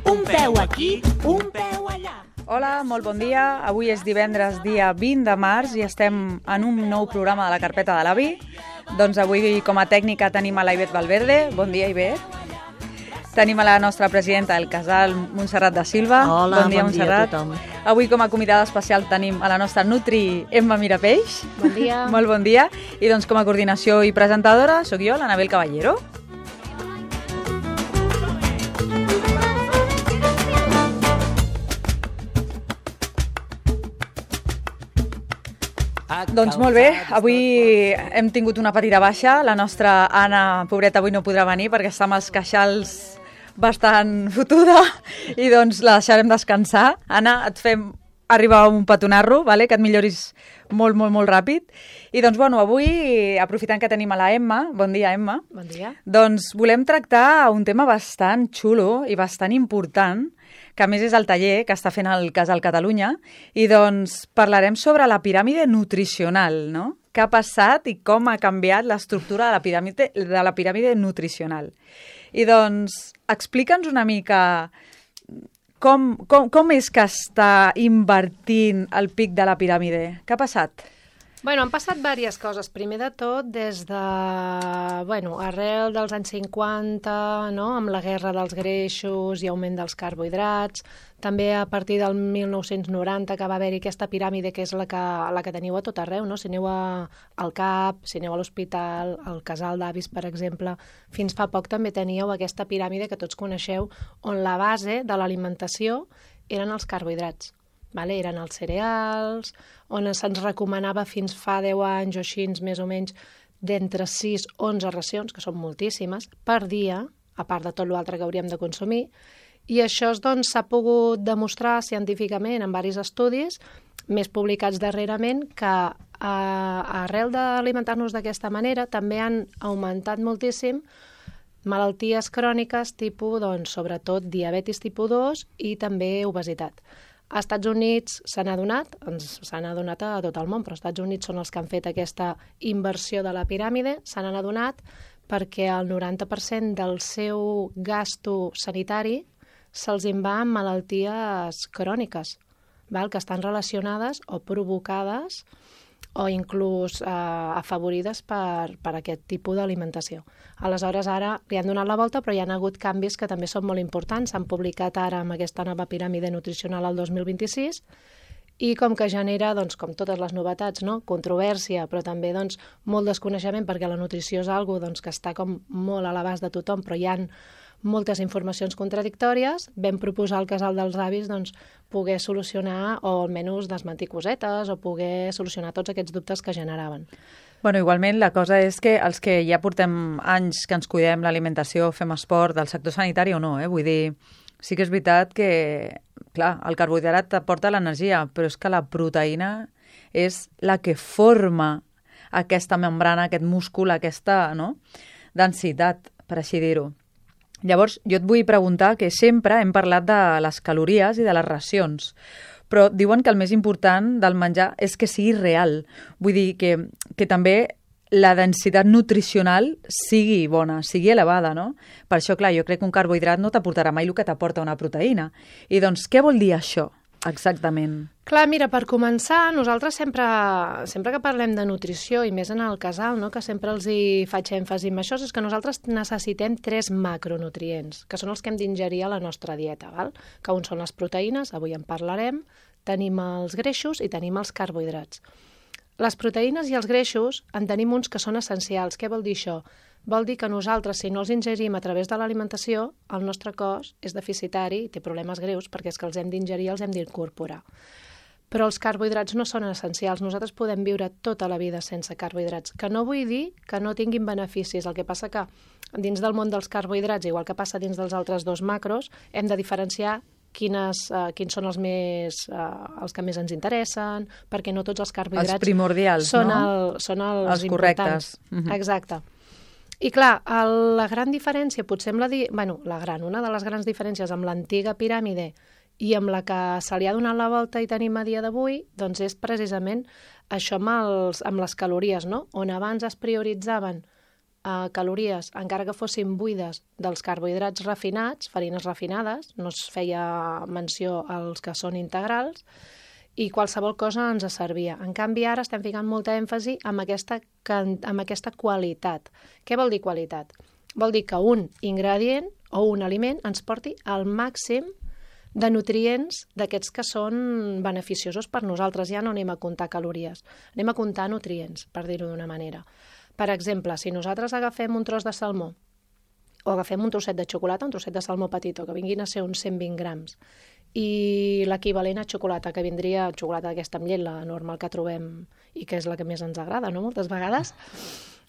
Un peu aquí, un peu allà. Hola, molt bon dia. Avui és divendres, dia 20 de març, i estem en un nou programa de la carpeta de l'avi. Doncs avui, com a tècnica, tenim a la Ivet Valverde. Bon dia, Ivet. Tenim a la nostra presidenta del casal, Montserrat da Silva. Hola, bon dia, Montserrat. A tothom. Avui, com a convidada especial, tenim a la nostra Nutri Emma Mirapeix. Bon dia. Molt bon dia. I doncs, com a coordinació i presentadora, sóc jo, l'Anabel Caballero. Doncs molt bé, avui hem tingut una petita baixa. La nostra Anna, pobreta, avui no podrà venir perquè està amb els queixals bastant fotuda i doncs la deixarem descansar. Anna, et fem arribar un petonarro, vale? Que et milloris molt, molt, molt ràpid. I doncs, bueno, avui, aprofitant que tenim a la Emma, bon dia, Emma. Bon dia. Doncs volem tractar un tema bastant xulo i bastant important, que a més és el taller que està fent el Casal Catalunya, i doncs parlarem sobre la piràmide nutricional, no? Què ha passat i com ha canviat l'estructura de la piràmide nutricional. I doncs, explica'ns una mica com és que està invertint el pic de la piràmide. Què ha passat? Bueno, han passat diverses coses. Primer de tot, des de, arrel dels anys 50, no? Amb la guerra dels greixos i augment dels carbohidrats, també a partir del 1990 que va haver-hi aquesta piràmide que és la que teniu a tot arreu, no? Si aneu al CAP, si aneu a l'hospital, al casal d'avis, per exemple, fins fa poc també teníeu aquesta piràmide que tots coneixeu, on la base de l'alimentació eren els carbohidrats. Vale? Eren els cereals, on se'ns recomanava fins fa 10 anys o així, més o menys, d'entre 6 a 11 racions, que són moltíssimes, per dia, a part de tot l'altre que hauríem de consumir, i això doncs, s'ha pogut demostrar científicament en diversos estudis, més publicats darrerament, que arrel d'alimentar-nos d'aquesta manera també han augmentat moltíssim malalties cròniques tipus, doncs, sobretot diabetis tipus 2 i també obesitat. Als Estats Units s'han adonat a tot el món, però als Estats Units són els que han fet aquesta inversió de la piràmide, s'han adonat perquè el 90% del seu gasto sanitari se'ls en va en malalties cròniques, que estan relacionades o provocades o inclús afavorides per aquest tipus d'alimentació. Aleshores, ara li han donat la volta, però hi ha hagut canvis que també són molt importants. S'han publicat ara amb aquesta nova piràmide nutricional al 2026 i com que genera, doncs, com totes les novetats, no? Controvèrsia, però també doncs, molt desconeixement, perquè la nutrició és algo doncs, que està com molt a l'abast de tothom, però hi ha moltes informacions contradictòries. Vam proposar al Casal dels Avis doncs, poder solucionar o almenys desmentir cosetes o poder solucionar tots aquests dubtes que generaven. Bueno, igualment, la cosa és que els que ja portem anys que ens cuidem l'alimentació, fem esport, del sector sanitari o no, vull dir, sí que és veritat que, clar, el carbohidrat t'aporta l'energia, però és que la proteïna és la que forma aquesta membrana, aquest múscul, aquesta, no?, densitat, per així dir-ho. Llavors, jo et vull preguntar que sempre hem parlat de les calories i de les racions, però diuen que el més important del menjar és que sigui real. Vull dir que també la densitat nutricional sigui bona, sigui elevada, no? Per això, clar, jo crec que un carbohidrat no t'aportarà mai el que t'aporta una proteïna. I doncs, què vol dir això, exactament? Clar, mira, per començar, nosaltres sempre que parlem de nutrició, i més en el casal, no? Que sempre els hi faig èmfasi en això, és que nosaltres necessitem 3 macronutrients, que són els que hem d'ingerir a la nostra dieta, val? Que un són les proteïnes, avui en parlarem, tenim els greixos i tenim els carbohidrats. Les proteïnes i els greixos en tenim uns que són essencials. Què vol dir això? Vol dir que nosaltres, si no els ingerim a través de l'alimentació, el nostre cos és deficitari i té problemes greus perquè és que els hem d'ingerir i els hem d'incorporar. Però els carbohidrats no són essencials. Nosaltres podem viure tota la vida sense carbohidrats, que no vull dir que no tinguin beneficis. El que passa que dins del món dels carbohidrats, igual que passa dins dels altres 2 macros, hem de diferenciar quins són els que més ens interessen, perquè no tots els carbohidrats els primordials, són, no? Són els correctes. Exacte. I clar, la gran diferència, potser amb una de les grans diferències amb l'antiga piràmide i amb la que se li ha donat la volta i tenim a dia d'avui, doncs és precisament això amb les calories, no? On abans es prioritzaven calories, encara que fossin buides dels carbohidrats refinats, farines refinades, no es feia menció als que són integrals, i qualsevol cosa ens servia. En canvi, ara estem ficant molta èmfasi amb aquesta qualitat. Què vol dir qualitat? Vol dir que un ingredient o un aliment ens porti al màxim de nutrients d'aquests que són beneficiosos per nosaltres. Ja no anem a comptar calories, anem a comptar nutrients, per dir-ho d'una manera. Per exemple, si nosaltres agafem un tros de salmó o agafem un trosset de xocolata, un trosset de salmó petitó, que vinguin a ser uns 120 grams, i l'equivalent a xocolata, que vindria xocolata d'aquesta amb llet, la normal que trobem i que és la que més ens agrada, no?, moltes vegades,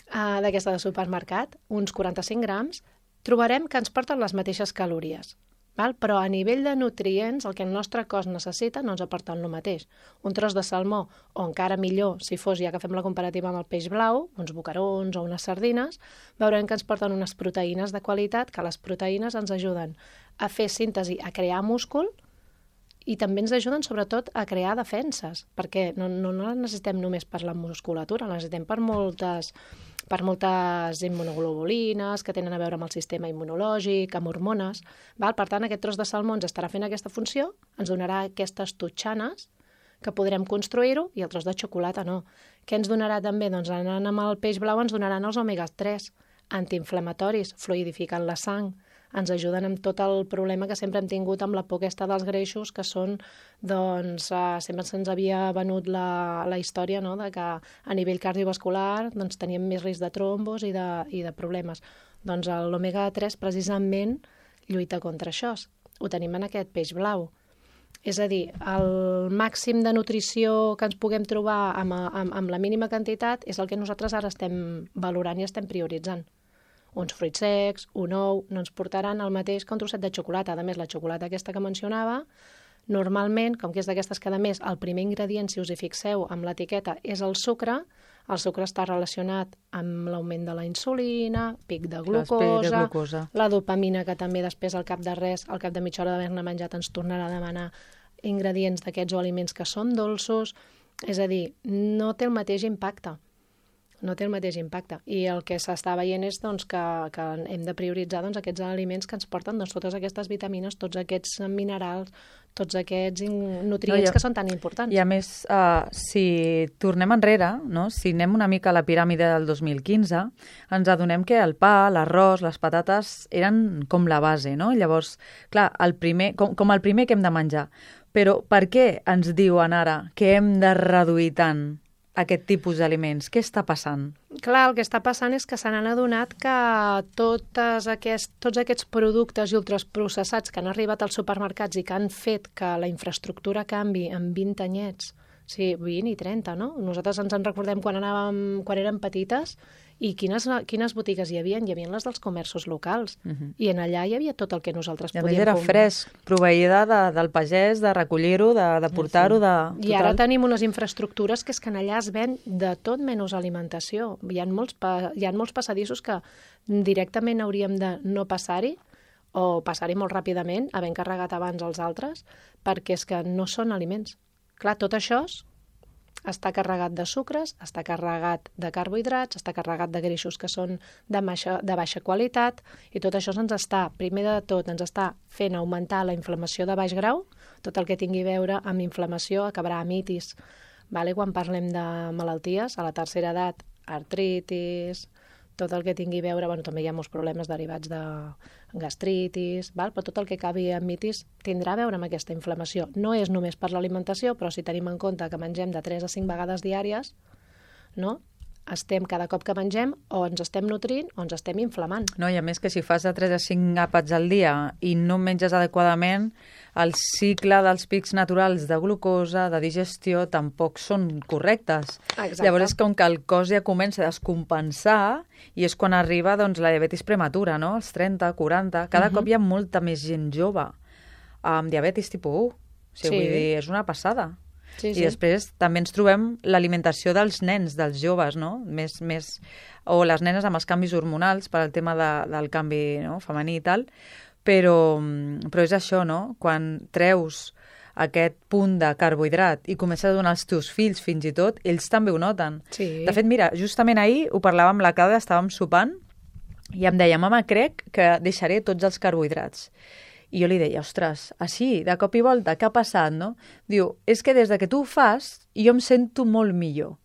d'aquesta de supermercat, uns 45 grams, trobarem que ens porten les mateixes calories. Val? Però a nivell de nutrients, el que el nostre cos necessita no ens aporta el mateix. Un tros de salmó, o encara millor, si fos, ja que fem la comparativa amb el peix blau, uns boquerons o unes sardines, veurem que ens porten unes proteïnes de qualitat, que les proteïnes ens ajuden a fer síntesi, a crear múscul, i també ens ajuden, sobretot, a crear defenses, perquè no les necessitem només per la musculatura, les necessitem per moltes immunoglobulines que tenen a veure amb el sistema immunològic, amb hormones. Val? Per tant, aquest tros de salmó ens estarà fent aquesta funció, ens donarà aquestes totxanes que podrem construir-ho, i el tros de xocolata no. Què ens donarà també? Doncs anant amb el peix blau ens donaran els omega-3, antiinflamatoris, fluidificant la sang, ens ajuden amb tot el problema que sempre hem tingut amb la por aquesta dels greixos, que són, doncs, sempre se'ns havia venut la història, no?, de que a nivell cardiovascular doncs, teníem més risc de trombos i de problemes. Doncs l'omega-3 precisament lluita contra això. Ho tenim en aquest peix blau. És a dir, el màxim de nutrició que ens puguem trobar amb la mínima quantitat és el que nosaltres ara estem valorant i estem prioritzant. Uns fruits secs, un ou, no ens portaran el mateix que un trosset de xocolata. A més, la xocolata aquesta que mencionava, normalment, com que és d'aquestes que, a més, el primer ingredient, si us hi fixeu, amb l'etiqueta, és el sucre està relacionat amb l'augment de la insulina, pic de glucosa, la dopamina, que també després, al cap de res, al cap de mitja hora d'haver-ne menjat, ens tornarà a demanar ingredients d'aquests o aliments que són dolços. És a dir, no té el mateix impacte. No té el mateix impacte. I el que s'està veient és doncs, que hem de prioritzar doncs, aquests aliments que ens porten doncs, totes aquestes vitamines, tots aquests minerals, tots aquests nutrients que són tan importants. I a més, si tornem enrere, no? Si anem una mica a la piràmide del 2015, ens adonem que el pa, l'arròs, les patates eren com la base, no? Llavors, clar, com el primer que hem de menjar. Però per què ens diuen ara que hem de reduir tant aquest tipus d'aliments? Què està passant? Clar, el que està passant és que se n'han adonat que tots aquests productes i ultraprocessats que han arribat als supermercats i que han fet que la infraestructura canvi en 20 anyets, sí, 20 i 30, no? Nosaltres ens en recordem quan érem petites i quines botigues hi havia? Hi havia les dels comerços locals. I en allà hi havia tot el que nosaltres podíem comprar. I a més era fresc, proveïda del pagès, de recollir-ho, de portar-ho, de... I ara tenim unes infraestructures que és que en allà es ven de tot menys alimentació. Hi ha molts passadissos que directament hauríem de no passar-hi o passar-hi molt ràpidament, havent carregat abans els altres, perquè és que no són aliments. Clar, tot això està carregat de sucres, està carregat de carbohidrats, està carregat de greixos que són de baixa qualitat, i tot això primer de tot, ens està fent augmentar la inflamació de baix grau. Tot el que tingui a veure amb inflamació acabarà amb itis. Quan parlem de malalties, a la tercera edat, artritis, tot el que tingui a veure, també hi ha molts problemes derivats de gastritis, però tot el que acabi amb mitis tindrà a veure amb aquesta inflamació. No és només per l'alimentació, però si tenim en compte que mengem de 3 a 5 vegades diàries, no? Cada cop que mengem, o ens estem nutrint o ens estem inflamant. No, i a més que si fas de 3 a 5 àpats al dia i no menges adequadament, el cicle dels pics naturals de glucosa, de digestió, tampoc són correctes. Exacte. Llavors és com que el cos ja comença a descompensar i és quan arriba doncs, la diabetis prematura, no? Els 30, 40... Cada cop hi ha molta més gent jove amb diabetis tipus 1. Vull dir, és una passada. Sí. I després també ens trobem l'alimentació dels nens, dels joves, no? O les nenes amb els canvis hormonals per al tema del canvi, no? Femení i tal, però és això, no? Quan treus aquest punt de carbohidrat i comences a donar als teus fills fins i tot, ells també ho noten. Sí. De fet, mira, justament ahir ho parlàvem amb la Clàudia, estàvem sopant i em deia, mama, crec que deixaré tots els carbohidrats. I jo li deia, ostres, així, de cop i volta, què ha passat, no? Diu, és que des de que tu ho fas, jo em sento molt millor.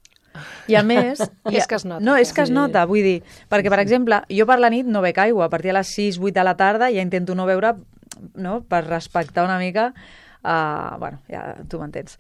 I a més... És que es nota. No, és que es nota, vull dir, perquè, per exemple, jo per la nit no bec aigua, a partir de les 6-8 de la tarda ja intento no beure, no?, per respectar una mica, bueno, ja tu m'entens.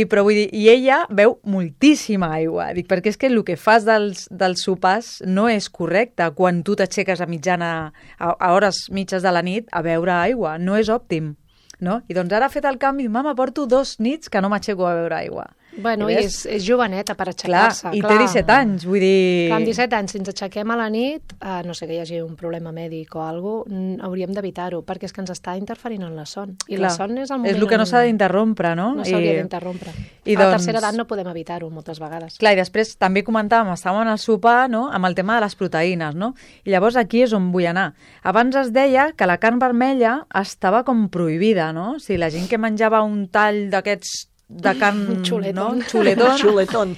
Però vull dir, i ella beu moltíssima aigua, dic, perquè és que el que fas dels sopars no és correcte quan tu t'aixeques a hores mitges de la nit a beure aigua, no és òptim. No? I doncs ara ha fet el canvi, mama, porto 2 nits que no m'aixeco a beure aigua. Bueno, i és joveneta per aixecar-se. Clar, i té 17 anys, vull dir... Clar, amb 17 anys, si ens aixequem a la nit, no sé que hi hagi un problema mèdic o alguna cosa, hauríem d'evitar-ho, perquè és que ens està interferint en la son. I clar, la son és el moment... És el que no s'ha d'interrompre, no? No s'hauria d'interrompre. I a la tercera edat no podem evitar-ho moltes vegades. Clar, i després també comentàvem, estàvem al sopar, no?, amb el tema de les proteïnes, no? I llavors aquí és on vull anar. Abans es deia que la carn vermella estava com prohibida, no? O sigui, la gent que menjava un tall d'aquests de carn... Xuletón. No? Xuletón. Xuletón.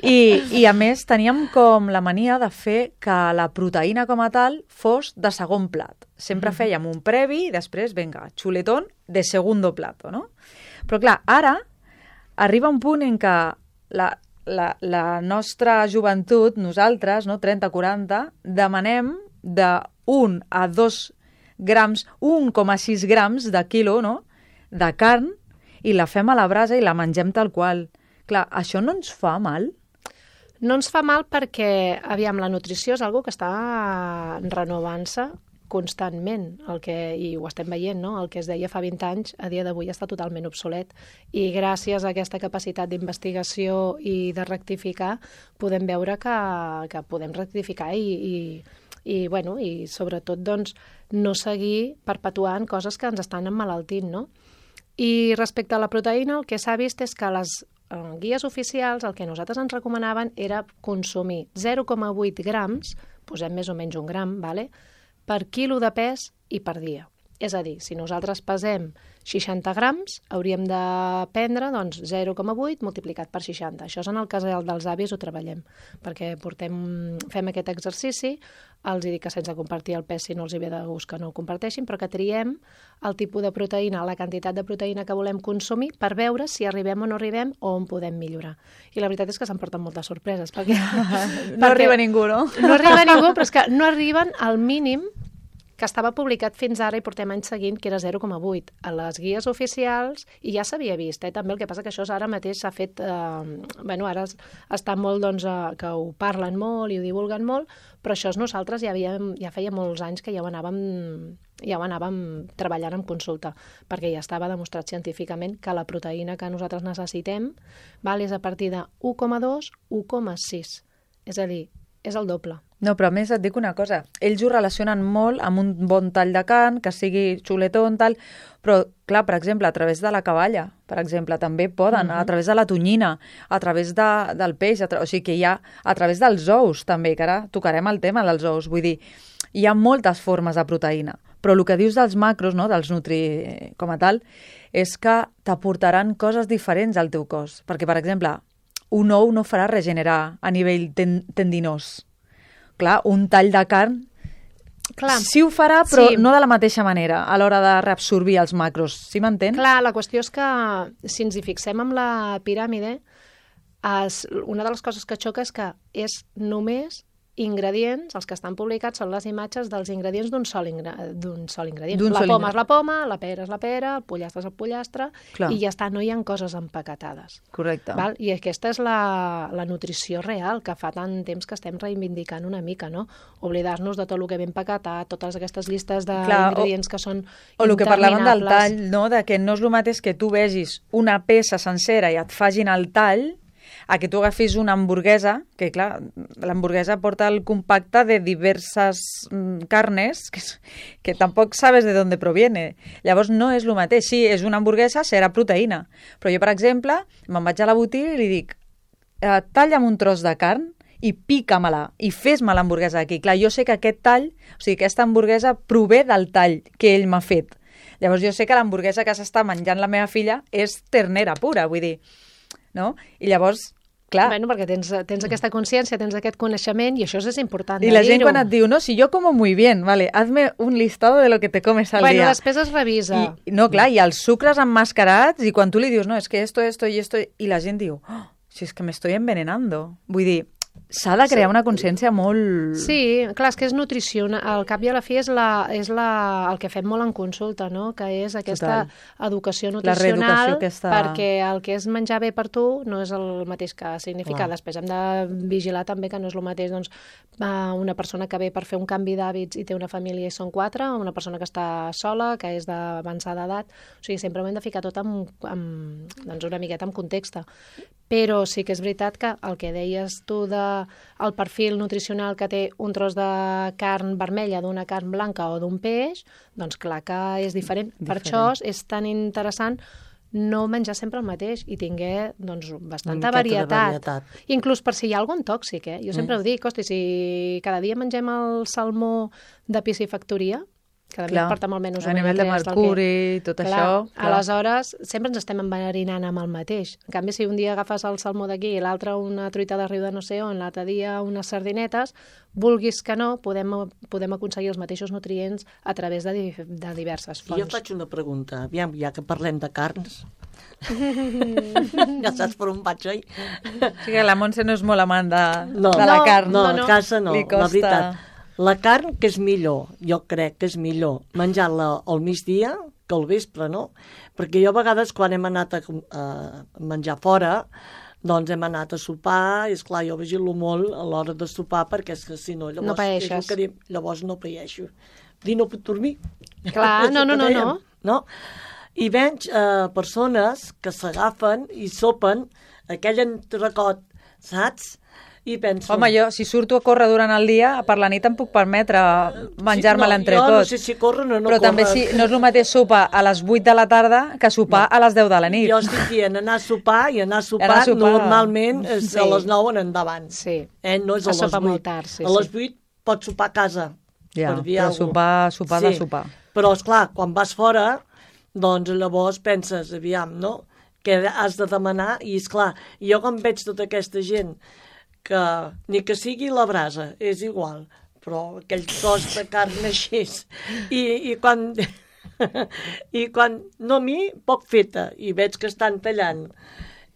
I a més teníem com la mania de fer que la proteïna com a tal fos de segon plat. Sempre fèiem un previ i després, vinga, xuletón de segundo plato, no? Però clar, ara arriba un punt en què la nostra joventut, nosaltres, no, 30-40, demanem de 1 a 2 grams, 1,6 grams de quilo, no?, de carn, i la fem a la brasa i la mengem tal qual. Clar, això no ens fa mal? No ens fa mal perquè, aviam, la nutrició és algo que està renovant-se constantment, i ho estem veient, no? El que es deia fa 20 anys, a dia d'avui està totalment obsolet. I gràcies a aquesta capacitat d'investigació i de rectificar, podem veure que podem rectificar i sobretot doncs, no seguir perpetuant coses que ens estan emmalaltint, no? I respecte a la proteïna, el que s'ha vist és que les guies oficials el que nosaltres ens recomanaven era consumir 0,8 grams, posem més o menys 1 gram, per quilo de pes i per dia. És a dir, si nosaltres pesem 60 grams, hauríem de prendre 0,8 multiplicat per 60. Això és en el cas dels avis ho treballem, perquè fem aquest exercici, els dic que sense compartir el pes, si no els hi ve de gust que no ho comparteixin, però que triem el tipus de proteïna, la quantitat de proteïna que volem consumir per veure si arribem o no arribem o on podem millorar. I la veritat és que s'emporten moltes sorpreses. Perquè arriba ningú, no? No arriba ningú, però és que no arriben al mínim que estava publicat fins ara i portem anys seguint, que era 0,8 a les guies oficials, i ja s'havia vist, també el que passa que això ara mateix s'ha fet, ara està molt, que ho parlen molt i ho divulguen molt, però això nosaltres ja feia molts anys que ja ho anàvem treballant en consulta, perquè ja estava demostrat científicament que la proteïna que nosaltres necessitem és a partir de 1,2, 1,6, és a dir, és el doble. No, però a més et dic una cosa, ells ho relacionen molt amb un bon tall de carn, que sigui xuletón, tal, però, clar, per exemple, a través de la caballa, per exemple, també poden, a través de la tonyina, a través del peix, o sigui que hi ha, a través dels ous, també, que ara tocarem el tema dels ous, vull dir, hi ha moltes formes de proteïna, però el que dius dels macros, no, dels nutri com a tal, és que t'aportaran coses diferents al teu cos, perquè, per exemple, un ou no farà regenerar a nivell tendinós. Clar, un tall de carn sí ho farà, però no de la mateixa manera a l'hora de reabsorbir els macros. Sí m'entens? Clar, la qüestió és que si ens hi fixem amb la piràmide, una de les coses que xoca és que és només ingredients, els que estan publicats són les imatges dels ingredients d'un sol ingredient. La poma és la poma, la pera és la pera, el pollastre és el pollastre, i ja està, no hi ha coses empaquetades. Correcte. I aquesta és la nutrició real, que fa tant temps que estem reivindicant una mica, no? Oblidar-nos de tot el que ve empaquetat, totes aquestes llistes d'ingredients que són interminables. O el que parlaven del tall, no? De que no és el mateix que tu vegis una peça sencera i et facin el tall, a que tu agafis una hamburguesa, que clar, l'hamburguesa porta el compacte de diverses carnes que tampoc sabes de d'on proviene. Llavors no és el mateix. Sí, és una hamburguesa, serà proteïna. Però jo, per exemple, me'n vaig a la botiga i li dic, talla'm un tros de carn i pica-me-la, i fes-me l'hamburguesa aquí. Clar, jo sé que aquest tall, o sigui, aquesta hamburguesa prové del tall que ell m'ha fet. Llavors jo sé que l'hamburguesa que s'està menjant la meva filla és ternera pura, vull dir, no? I llavors, clar... Bueno, perquè tens aquesta consciència, tens aquest coneixement i això és important I de la gent dir-ho. quan et diu, no, si yo como muy bien, vale, hazme un listado de lo que te comes al Bueno, día. després es revisa. No, clar, i els sucres emmascarats, i quan tu li dius, no, és que esto, i esto, i la gent diu, oh, si és que me estoy envenenando. Vull dir, s'ha de crear una consciència molt... Sí, clar, és que és nutrició. Al cap i a la fi és el que fem molt en consulta, no? Que és aquesta educació nutricional, reeducació aquesta... perquè el que és menjar bé per tu no és el mateix que significa. Clar. Després hem de vigilar també que no és el mateix doncs, una persona que ve per fer un canvi d'hàbits i té una família i són 4, una persona que està sola, que és d'avançada edat. O sigui, sempre ho hem de ficar tot doncs una miqueta en context. Però sí que és veritat que el que deies tu el perfil nutricional que té un tros de carn vermella d'una carn blanca o d'un peix, doncs clar que és diferent. Per això és tan interessant no menjar sempre el mateix i tinguer doncs, bastanta varietat. Inclús per si hi ha algun tòxic, Jo sempre ho dic, hosti, si cada dia mengem el salmó de piscifactoria, que a mi porta molt menys a nivell de mercuri i tot això. Aleshores, sempre ens estem enverinant amb el mateix. En canvi, si un dia agafes el salmó d'aquí i l'altre una truita de riu de no sé on, l'altre dia unes sardinetes, vulguis que no, podem aconseguir els mateixos nutrients a través de diverses fonts. Jo faig una pregunta, aviam, ja que parlem de carns. Ja saps per on vaig, oi? Sí que la Montse no és molt amant de la carn. No, a casa no, la veritat. La carn, que és millor, jo crec que és millor menjar-la al migdia que al vespre, no? Perquè jo a vegades quan hem anat a menjar fora, doncs hem anat a sopar i esclar, jo vigilo molt a l'hora de sopar perquè és que si no, llavors, no paeixes. Llavors no paeixo. No puc dormir. Clar, no. I veig persones que s'agafen i sopen aquell entrecot, saps? I penso... Home, jo, si surto a córrer durant el dia, per la nit em puc permetre menjar-me l'entrecot. Jo no sé si corren o no però corren. també no és el mateix sopar a les 8 de la tarda que sopar a les 10 de la nit. Jo estic dient anar a sopar i anar a sopar normalment és a les 9 en endavant. Sí. No és a les 8. Molt tard, a les 8 pots sopar a casa. Ja, però sopar de sopar. Però, esclar, quan vas fora, doncs llavors penses, aviam, no? Que has de demanar i, esclar, jo quan veig tota aquesta gent que ni que sigui la brasa, és igual, però aquell tros de carn així, i quan no a mi, poc feta, i veig que estan tallant,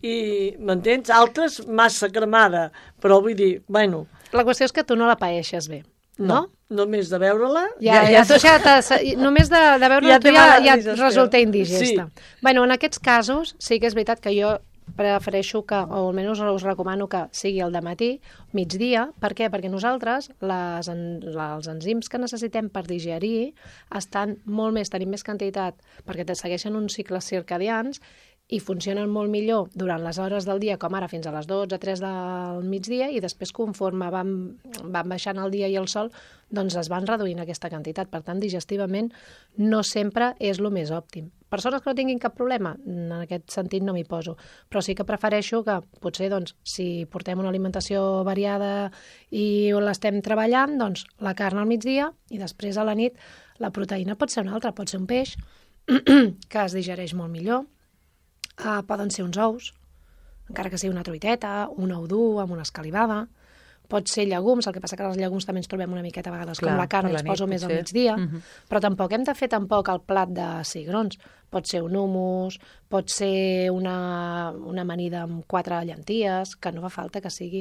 i m'entens? Altres massa cremada, però vull dir, bueno... La qüestió és que tu no la paeixes bé, no? Només de veure-la... Només de veure-la ja et resulta indigesta. Sí. Bueno, en aquests casos sí que és veritat que jo prefereixo que, o almenys us recomano que sigui el dematí, migdia. Per què? Perquè nosaltres els enzims que necessitem per digerir tenim més quantitat, perquè segueixen uns cicles circadians i funcionen molt millor durant les hores del dia, com ara fins a les 12, 3 del migdia, i després conforme van baixant el dia i el sol, doncs es van reduint aquesta quantitat. Per tant, digestivament no sempre és el més òptim. Persones que no tinguin cap problema, en aquest sentit no m'hi poso, però sí que prefereixo que potser, doncs, si portem una alimentació variada i l'estem treballant, doncs la carn al migdia i després a la nit la proteïna pot ser una altra, pot ser un peix que es digereix molt millor, poden ser uns ous, encara que sigui una truiteta, un ou dur amb una escalivada, pot ser llegums, el que passa que els llegums també ens trobem una miqueta a vegades com la carn, els poso més al migdia, però tampoc hem de fer el plat de cigrons. Pot ser un hummus, pot ser una amanida amb 4 llenties, que no fa falta que sigui...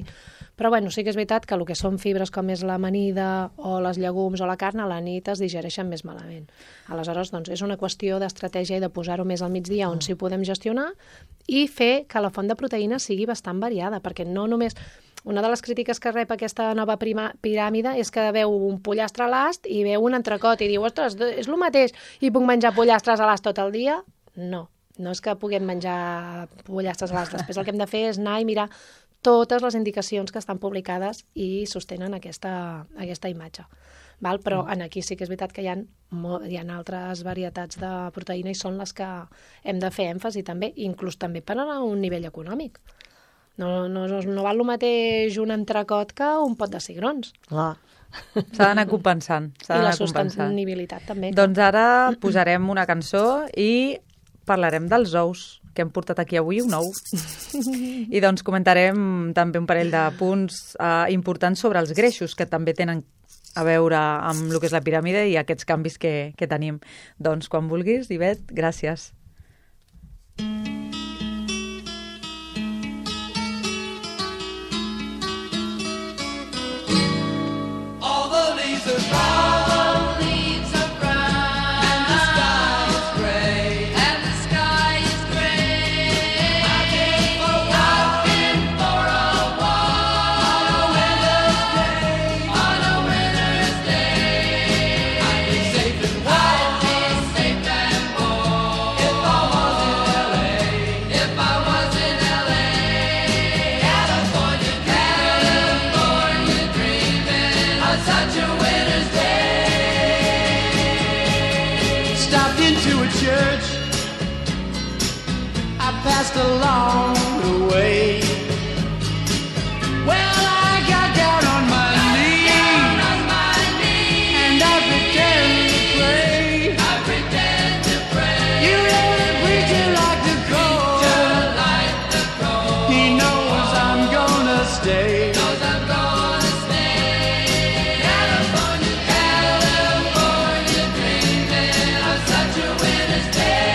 Però bueno, sí que és veritat que el que són fibres com és l'amanida o les llegums o la carn a la nit es digereixen més malament. Aleshores, doncs, és una qüestió d'estratègia i de posar-ho més al migdia on sí podem gestionar i fer que la font de proteïna sigui bastant variada, perquè no només... Una de les crítiques que rep aquesta nova piràmide és que veu un pollastre a l'ast i veu un entrecot i diu, ostres, és el mateix, i puc menjar pollastres a l'ast tot el dia? No, no és que puguem menjar pollastres a l'ast. Després el que hem de fer és anar i mirar totes les indicacions que estan publicades i sostenen aquesta imatge. Val? Però aquí sí que és veritat que hi ha altres varietats de proteïna i són les que hem de fer èmfasi també, inclús també per a un nivell econòmic. No val el mateix un entrecot que un pot de cigrons. Clar, S'ha d'anar compensant. I la sostenibilitat també. Doncs ara posarem una cançó i parlarem dels ous, que hem portat aquí avui un ou. I doncs comentarem també un parell de punts importants sobre els greixos, que també tenen a veure amb el que és la piràmide i aquests canvis que tenim. Doncs quan vulguis, Ivet, gràcies. Passed along the way. Well, I got down on my knees, and I pretend to pray. You know the preacher like the cold. He knows I'm gonna stay. California, dreaming of such a winter's day.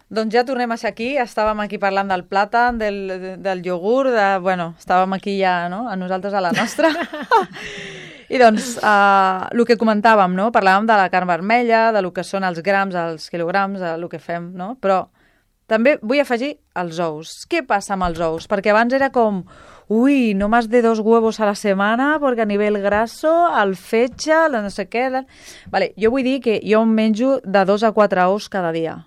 Doncs ja tornem a ser aquí, estàvem aquí parlant del plàtan, del iogurt, estàvem aquí ja, no?, a nosaltres a la nostra. I doncs, el que comentàvem, no?, parlàvem de la carn vermella, de lo que són els grams, els quilograms, el que fem, no?, però també vull afegir els ous. Què passa amb els ous? Perquè abans era com, uy, no más de 2 huevos a la semana, porque a nivell graso, el fetge, el no sé què... Vale, jo vull dir que jo em menjo de 2 a 4 ous cada dia.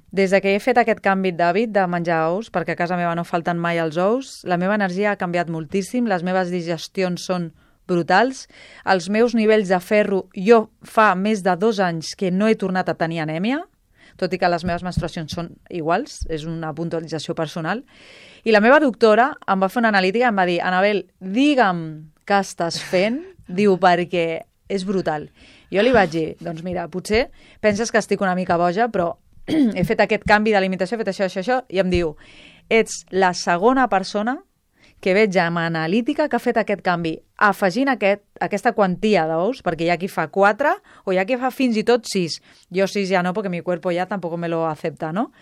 Des que he fet aquest canvi d'hàbit de menjar ous, perquè a casa meva no falten mai els ous, la meva energia ha canviat moltíssim, les meves digestions són brutals, els meus nivells de ferro, jo fa més de 2 anys que no he tornat a tenir anèmia, tot i que les meves menstruacions són iguals, és una puntualització personal, i la meva doctora em va fer una analítica i em va dir, Anabel, digue'm què estàs fent, diu, perquè és brutal. Jo li vaig dir, doncs mira, potser penses que estic una mica boja, però he fet aquest canvi d'alimentació, he fet això, i em diu, ets la segona persona que veig amb analítica que ha fet aquest canvi, afegint aquesta quantia d'ous, perquè hi ha qui fa 4 o hi ha qui fa fins i tot 6. Jo 6 ja no, perquè mi cuerpo ja tampoc me lo acepta, no?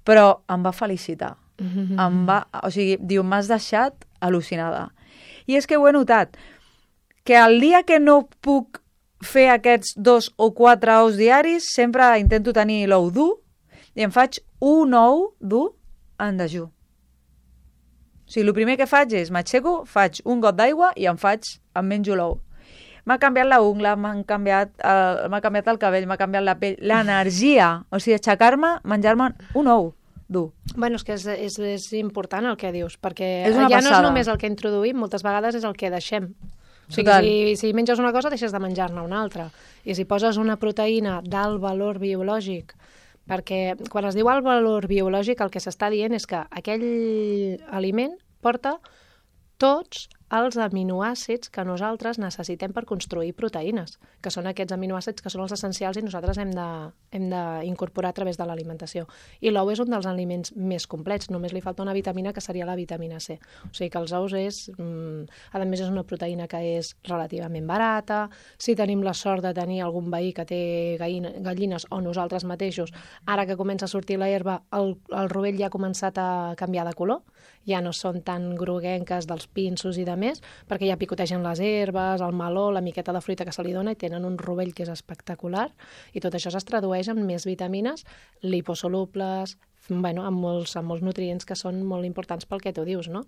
Però em va felicitar. Diu, m'has deixat al·lucinada. I és que ho he notat, que el dia que no puc fer aquests 2 o 4 ous diaris, sempre intento tenir l'ou dur i em faig un ou dur en dejú. O sigui, el primer que faig és, m'aixeco, faig un got d'aigua i em menjo l'ou. M'ha canviat la ungla, m'ha canviat el cabell, m'ha canviat la pell, l'energia. O sigui, aixecar-me, menjar-me un ou dur. Bueno, és que és important el que dius, perquè ja no és només el que introduïm, moltes vegades és el que deixem. O sigui, si menges una cosa, deixes de menjar-ne una altra. I si poses una proteïna d'alt valor biològic, perquè quan es diu el valor biològic el que s'està dient és que aquell aliment porta tots els aminoàcids que nosaltres necessitem per construir proteïnes, que són aquests aminoàcids que són els essencials i nosaltres hem d'incorporar a través de l'alimentació. I l'ou és un dels aliments més complets, només li falta una vitamina que seria la vitamina C. O sigui que els ous a més és una proteïna que és relativament barata, si tenim la sort de tenir algun veí que té gallines o nosaltres mateixos, ara que comença a sortir la herba, el rovell ja ha començat a canviar de color, ja no són tan groguenques dels pinsos i de més, perquè ja picotegen les herbes, el meló, la miqueta de fruita que se li dona i tenen un rovell que és espectacular i tot això es tradueix en més vitamines liposolubles, amb molts nutrients que són molt importants pel que tu dius, no?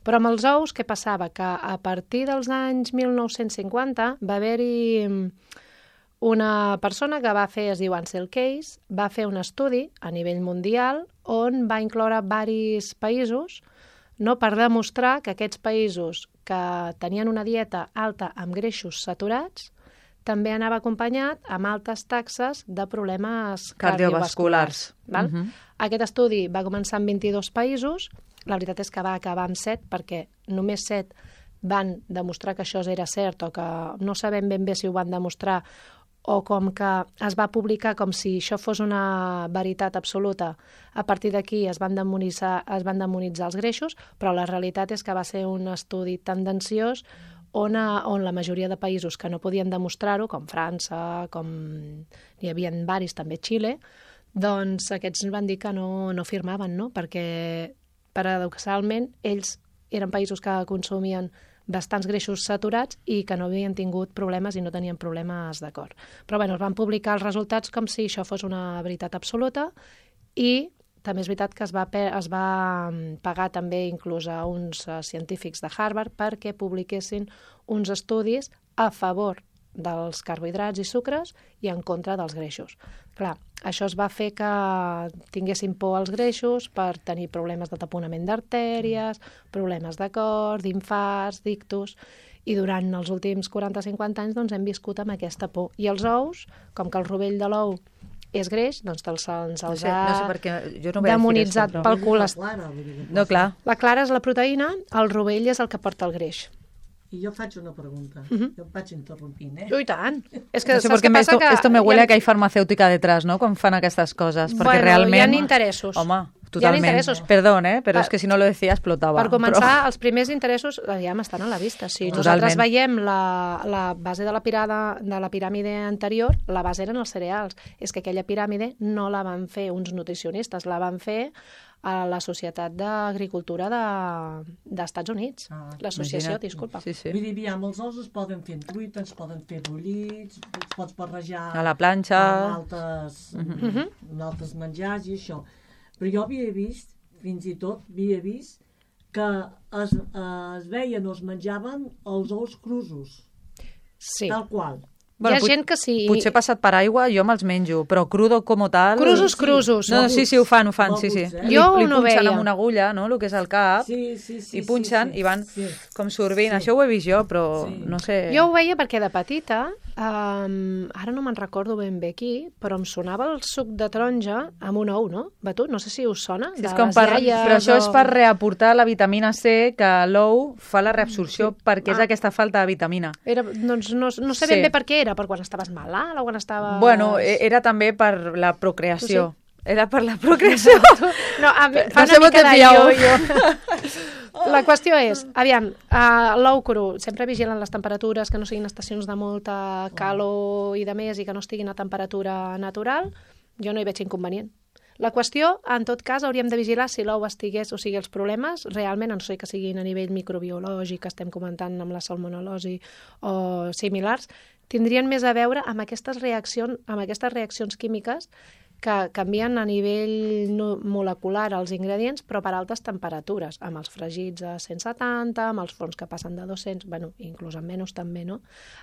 Però amb els ous, què passava? Que a partir dels anys 1950 va haver-hi una persona que va fer, es diu Ansel Keys, va fer un estudi a nivell mundial on va incloure diversos països, no, per demostrar que aquests països que tenien una dieta alta amb greixos saturats també anava acompanyat amb altes taxes de problemes cardiovasculars. Aquest estudi va començar en 22 països, la veritat és que va acabar amb 7 perquè només 7 van demostrar que això era cert o que no sabem ben bé si ho van demostrar o com que es va publicar com si això fos una veritat absoluta. A partir d'aquí es van demonitzar els greixos, però la realitat és que va ser un estudi tendenciós on la majoria de països que no podien demostrar-ho, com França, com n'hi havia diversos, també Xile, doncs aquests van dir que no firmaven, no? Perquè paradoxalment ells eren països que consumien bastants greixos saturats i que no havien tingut problemes i no tenien problemes de cor. Però es van publicar els resultats com si això fos una veritat absoluta i també és veritat que es va pagar també inclús a uns científics de Harvard perquè publiquessin uns estudis a favor dels carbohidrats i sucres i en contra dels greixos. Clar, això es va fer que tinguessin por als greixos per tenir problemes de taponament d'artèries, problemes de cor, d'infarts, d'ictus, i durant els últims 40-50 anys doncs, hem viscut amb aquesta por. I els ous, com que el rovell de l'ou és greix, doncs se'ls ha demonitzat pel colesterol. No, clar. La clara és la proteïna, el rovell és el que porta el greix. I jo faig una pregunta. Jo em vaig interrompint, I tant. És que no sé, porque esto me huele a que hay farmacéutica detrás, ¿no? Quan fan aquestes coses. Perquè realment... hi ha interessos. Home, totalment. Perdón, però és que si no lo decía explotava. Per començar, els primers interessos ja estan a la vista. Si nosaltres veiem la base de la piràmide anterior, la base eren els cereals. És que aquella piràmide no la van fer uns nutricionistes, la van fer a la Societat d'Agricultura d'Estats Units. L'associació, disculpa. Sí. Vull dir, amb els ous es poden fer en truita, es poden fer bullits, es pots barrejar a la planxa amb altres menjars i això. Però jo havia vist, fins i tot, que es veien o es menjaven els ous crusos. Sí. Tal qual. Hi ha gent que sí... Potser passat per aigua jo me'ls menjo, però crudo com tal... Crusos. No, sí, ho fan, sí. Jo no veia. Li punxen amb una agulla, no?, el que és el cap, i punxen i van com sorbint. Això ho he vist jo, però no sé... Jo ho veia perquè de petita, ara no me'n recordo ben bé qui, però em sonava el suc de taronja amb un ou, no? Batut, no sé si us sona. Però això és per reaportar la vitamina C, que l'ou fa la reabsorció perquè és aquesta falta de vitamina. Doncs no sé ben bé per què era. Per quan estaves malalt o quan estaves... Bueno, era també per la procreació. Era per la procreació. No, fa una mica de jo. La qüestió és, aviam, l'ou cru, sempre vigilen les temperatures, que no siguin estacions de molta calor i de més i que no estiguin a temperatura natural, jo no hi veig inconvenient. La qüestió, en tot cas, hauríem de vigilar si l'ou estigués, o sigui, els problemes, realment, no sé que siguin a nivell microbiològic, que estem comentant amb la salmonel·losi o similars, tindrien més a veure amb aquestes reaccions químiques que canvien a nivell molecular els ingredients, però per altes temperatures, amb els fregits a 170, amb els forns que passen de 200, bueno, inclús amb menys també, no?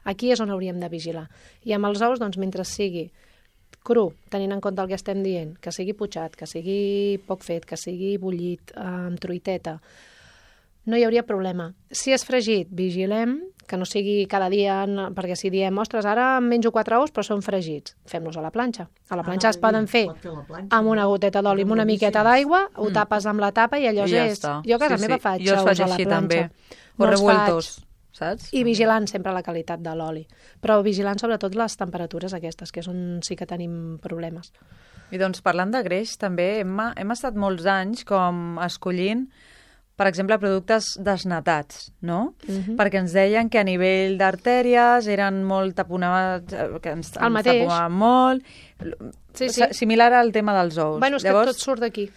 Aquí és on hauríem de vigilar. I amb els ous, doncs, mentre sigui cru, tenint en compte el que estem dient, que sigui putxat, que sigui poc fet, que sigui bullit, amb truiteta, no hi hauria problema. Si és fregit, vigilem que no sigui cada dia, perquè si diem, ostres, ara em menjo 4 ous però són fregits, fem-los a la planxa. A la planxa es poden fer amb una goteta d'oli, amb una miqueta d'aigua, ho tapes amb la tapa i allò és... Jo a casa meva faig ous a la planxa. També. O revueltos, saps? I vigilant sempre la qualitat de l'oli. Però vigilant sobretot les temperatures aquestes, que és on sí que tenim problemes. I doncs parlant de greix, també hem estat molts anys com escollint, per exemple, productes desnatats, no? Perquè ens deien que a nivell d'artèries eren molt taponats, que ens taponaven molt. Sí. Similar al tema dels ous. Bueno, és llavors, que tot surt d'aquí.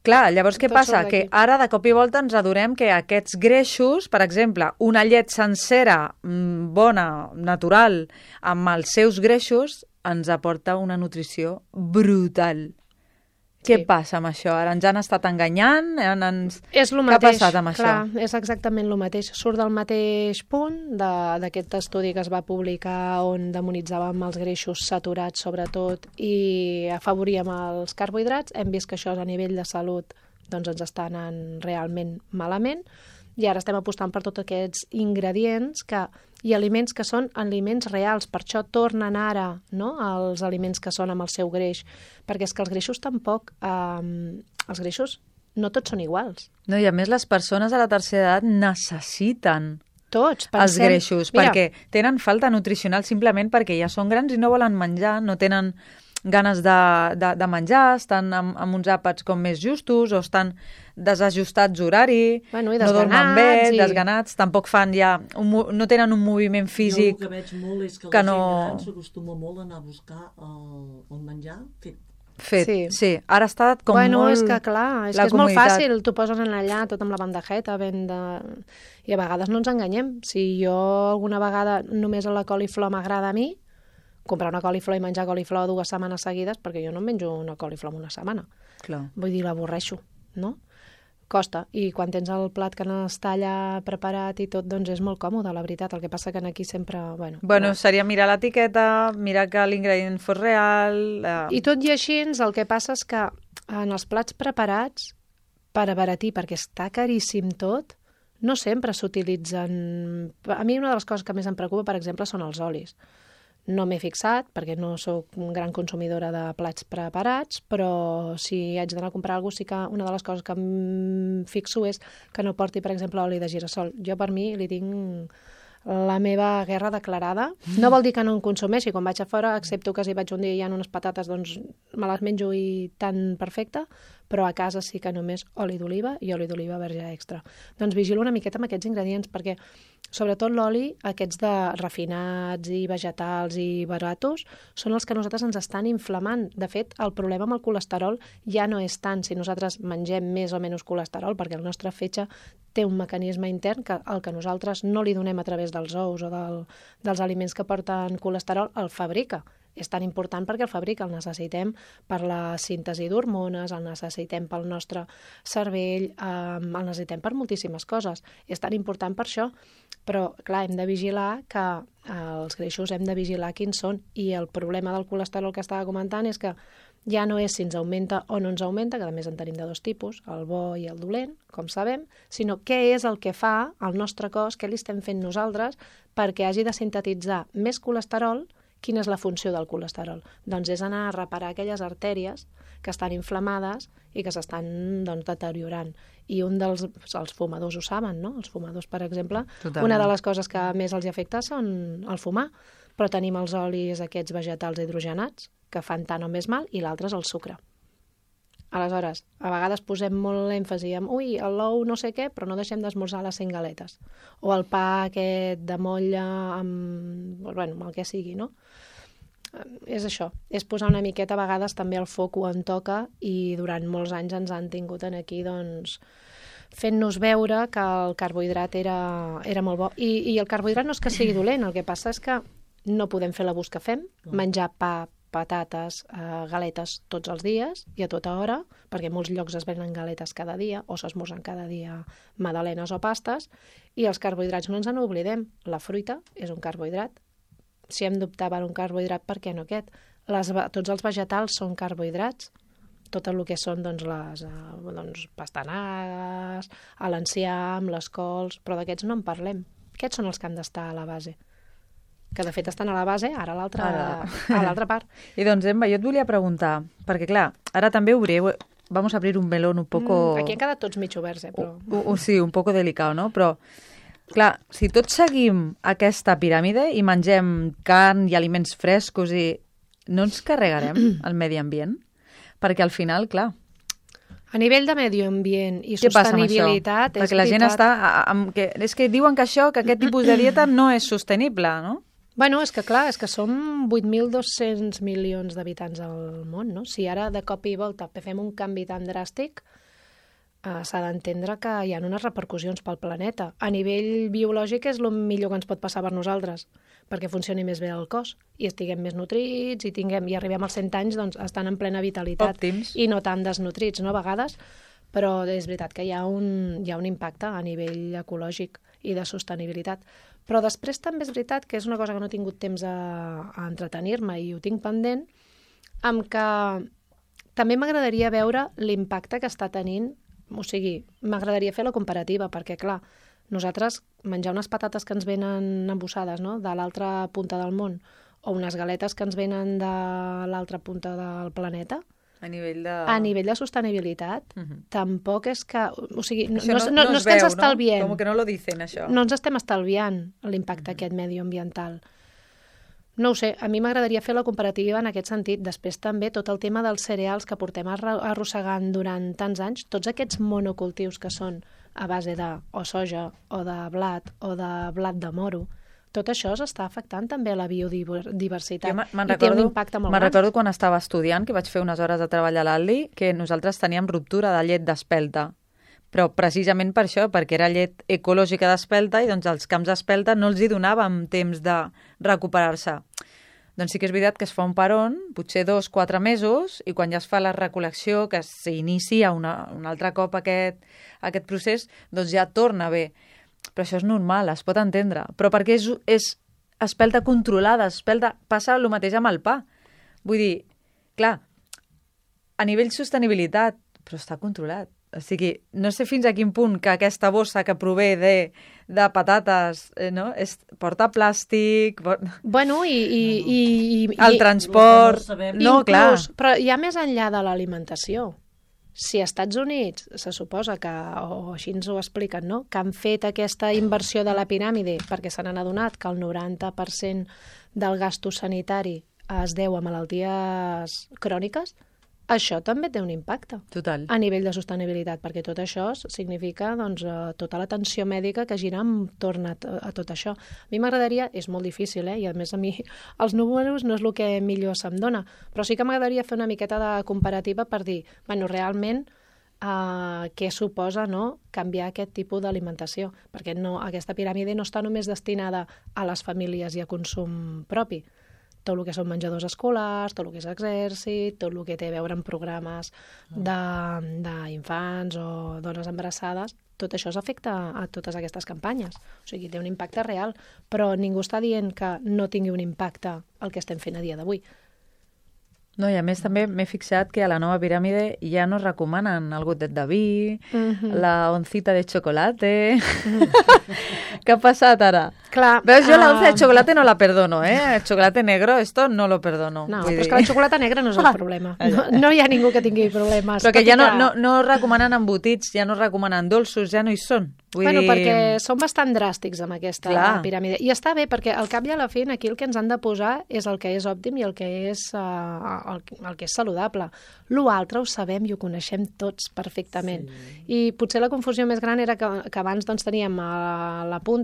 Clar, llavors què passa? Que ara de cop i volta ens adonem que aquests greixos, per exemple, una llet sencera, bona, natural, amb els seus greixos, ens aporta una nutrició brutal. Què passa amb això? Ara ens han estat enganyant? És el mateix. Què ha passat amb això? Clar, és exactament el mateix. Surt del mateix punt d'aquest estudi que es va publicar on demonitzàvem els greixos saturats sobretot i afavoríem els carbohidrats. Hem vist que això a nivell de salut doncs ens està anant realment malament i ara estem apostant per tots aquests ingredients i aliments que són aliments reals. Per això tornen ara, no?, els aliments que són amb el seu greix, perquè és que els greixos tampoc... els greixos no tots són iguals. No, i a més les persones a la tercera edat necessiten tots, els greixos, perquè tenen falta nutricional simplement perquè ja són grans i no volen menjar, no tenen ganes de menjar, estan amb uns àpats com més justos o estan desajustats horari, no dormen bé, desganats, tampoc fan ja... no tenen un moviment físic... Jo el que veig molt és que la gent gran s'acostuma molt a anar a buscar el menjar fet. Sí. Ara està com molt... és que clar, és que és molt fàcil, t'ho poses allà tot amb la bandejeta, i a vegades no ens enganyem. Si jo alguna vegada només la coliflor m'agrada a mi, comprar una coliflor i menjar coliflor 2 setmanes seguides, perquè jo no em menjo una coliflor en una setmana. Clar. Vull dir, l'avorreixo, no? Costa. I quan tens el plat que n'està allà preparat i tot, doncs és molt còmode, la veritat. El que passa que aquí sempre... seria mirar l'etiqueta, mirar que l'ingredient fos real... I tot i així, el que passa és que en els plats preparats, per abaratir, perquè està caríssim tot, no sempre s'utilitzen... A mi una de les coses que més em preocupa, per exemple, són els olis. No m'he fixat, perquè no sóc gran consumidora de plats preparats, però si haig d'anar a comprar alguna cosa, sí que una de les coses que em fixo és que no porti, per exemple, oli de girassol. Jo, per mi, li tinc la meva guerra declarada. No vol dir que no en consumeixi. Quan vaig a fora, excepto que si vaig un dia i hi ha unes patates, doncs me les menjo i tan perfecte, però a casa sí que només oli d'oliva i oli d'oliva verge extra. Doncs vigilo una miqueta amb aquests ingredients, perquè sobretot l'oli, aquests de refinats i vegetals i baratos, són els que nosaltres ens estan inflamant. De fet, el problema amb el colesterol ja no és tant si nosaltres mengem més o menys colesterol, perquè el nostre fetge té un mecanisme intern que el que nosaltres no li donem a través dels ous o dels aliments que porten colesterol, el fabrica. És tan important perquè el fabrica, el necessitem per la síntesi d'hormones, el necessitem pel nostre cervell, el necessitem per moltíssimes coses. És tan important per això, però clar, hem de vigilar que els greixos hem de vigilar quins són, i el problema del colesterol que estava comentant és que ja no és si ens augmenta o no ens augmenta, que a més en tenim de 2 tipus, el bo i el dolent, com sabem, sinó què és el que fa al nostre cos, què li estem fent nosaltres perquè hagi de sintetitzar més colesterol. Quina és la funció del colesterol? Doncs és anar a reparar aquelles artèries que estan inflamades i que s'estan deteriorant. I els fumadors ho saben, no? Els fumadors, per exemple, una de les coses que més els afecta són el fumar, però tenim els olis aquests vegetals hidrogenats que fan tant o més mal, i l'altre és el sucre. Aleshores, a vegades posem molt èmfasi en l'ou no sé què, però no deixem d'esmorzar les 5 galetes. O el pa aquest de motlla amb el que sigui, no? És això, és posar una miqueta a vegades també el foc en toca, i durant molts anys ens han tingut aquí, doncs, fent-nos veure que el carbohidrat era molt bo. I el carbohidrat no és que sigui dolent, el que passa és que no podem fer l'abús que fem, menjar pa, patates, galetes tots els dies i a tota hora, perquè en molts llocs es venen galetes cada dia o s'esmorzen cada dia magdalenes o pastes, i els carbohidrats no ens en oblidem. La fruita és un carbohidrat. Si hem d'optar per un carbohidrat, per què no aquest? Tots els vegetals són carbohidrats. Tot el que són les pastanagues, l'enciam, les cols, però d'aquests no en parlem. Aquests són els que han d'estar a la base. Que de fet estan a la base, ara a l'altra part. I doncs, Emma, jo et volia preguntar, perquè clar, ara també vamos a abrir un melón un poco... Aquí han quedat tots mig oberts, però... Sí, un poco delicado, no? Però, clar, si tots seguim aquesta piràmide i mengem carn i aliments frescos i no ens carregarem el medi ambient? Perquè al final, clar... A nivell de medi ambient i Què passa amb sostenibilitat... això? Perquè la gent està... És que diuen que aquest tipus de dieta no és sostenible, no? Bueno, és que clar, és que som 8.200 milions d'habitants al món, no? Si ara de cop i volta fem un canvi tan dràstic, s'ha d'entendre que hi ha unes repercussions pel planeta. A nivell biològic és el millor que ens pot passar per nosaltres, perquè funcioni més bé el cos i estiguem més nutrits i arribem als 100 anys doncs, estan en plena vitalitat. Òptims. I no tan desnutrits, no, a vegades, però és veritat que hi ha un impacte a nivell ecològic i de sostenibilitat. Però després també és veritat que és una cosa que no he tingut temps a entretenir-me i ho tinc pendent, amb que també m'agradaria veure l'impacte que està tenint, o sigui, m'agradaria fer la comparativa, perquè clar, nosaltres menjar unes patates que ens venen embossades, no?, de l'altra punta del món, o unes galetes que ens venen de l'altra punta del planeta, a nivell de sostenibilitat, tampoc és que... O sigui, no és que ens estalviem. Com que no lo dicen, això. No ens estem estalviant l'impacte aquest medioambiental. No ho sé, a mi m'agradaria fer la comparativa en aquest sentit. Després també tot el tema dels cereals que portem arrossegant durant tants anys, tots aquests monocultius que són a base de o soja, o de blat, o de blat de moro, tot això s'està afectant també a la biodiversitat i té un impacte molt gran. Me'n recordo quan estava estudiant, que vaig fer unes hores de treball a l'Aldi, que nosaltres teníem ruptura de llet d'espelta. Però precisament per això, perquè era llet ecològica d'espelta i doncs els camps d'espelta no els hi donàvem temps de recuperar-se. Doncs sí que és veritat que es fa un peron, potser 2-4 mesos, i quan ja es fa la recol·lecció, que s'inicia un altre cop aquest procés, doncs ja torna bé. Però això és normal, es pot entendre. Però perquè és espelta controlada, passa el mateix amb el pa. Vull dir, clar, a nivell sostenibilitat, però està controlat. O sigui, no sé fins a quin punt que aquesta bossa que prové de patates, no? Porta plàstic... Bueno, el transport... No, clar. Però ja més enllà de l'alimentació. Si als Estats Units se suposa que, o així ens ho expliquen, no?, que han fet aquesta inversió de la piràmide perquè se n'han adonat que el 90% del gasto sanitari es deu a malalties cròniques, això també té un impacte. Total. A nivell de sostenibilitat, perquè tot això significa doncs, tota l'atenció mèdica que gira entorn a tot això. A mi m'agradaria, és molt difícil, i a més a mi els números no és el que millor se'm dona, però sí que m'agradaria fer una miqueta de comparativa per dir, bueno, realment què suposa, no?, canviar aquest tipus d'alimentació, perquè aquesta piràmide no està només destinada a les famílies i a consum propi. Tot el que són menjadors escolars, tot el que és exèrcit, tot el que té a veure amb programes d'infants o dones embarassades, tot això s'afecta a totes aquestes campanyes. O sigui, té un impacte real, però ningú està dient que no tingui un impacte el que estem fent a dia d'avui. No, i a més també m'he fixat que a la nova piràmide ja no recomanen el gotet de vi, la oncita de chocolate... Què ha passat ara? Clar, veus, jo la onza de chocolate no la perdono, El chocolate negro, esto no lo perdono. No, però és que la xocolata negra no és el problema. No hi ha ningú que tingui problemes. Però que ja no recomanen embotits, ja no recomanen dolços, ja no hi són. Bueno, perquè són bastant dràstics amb aquesta piràmide. I està bé, perquè al cap i a la fi aquí el que ens han de posar és el que és òptim i el que és saludable. L'altre ho sabem i ho coneixem tots perfectament. I potser la confusió més gran era que abans doncs, teníem a la punta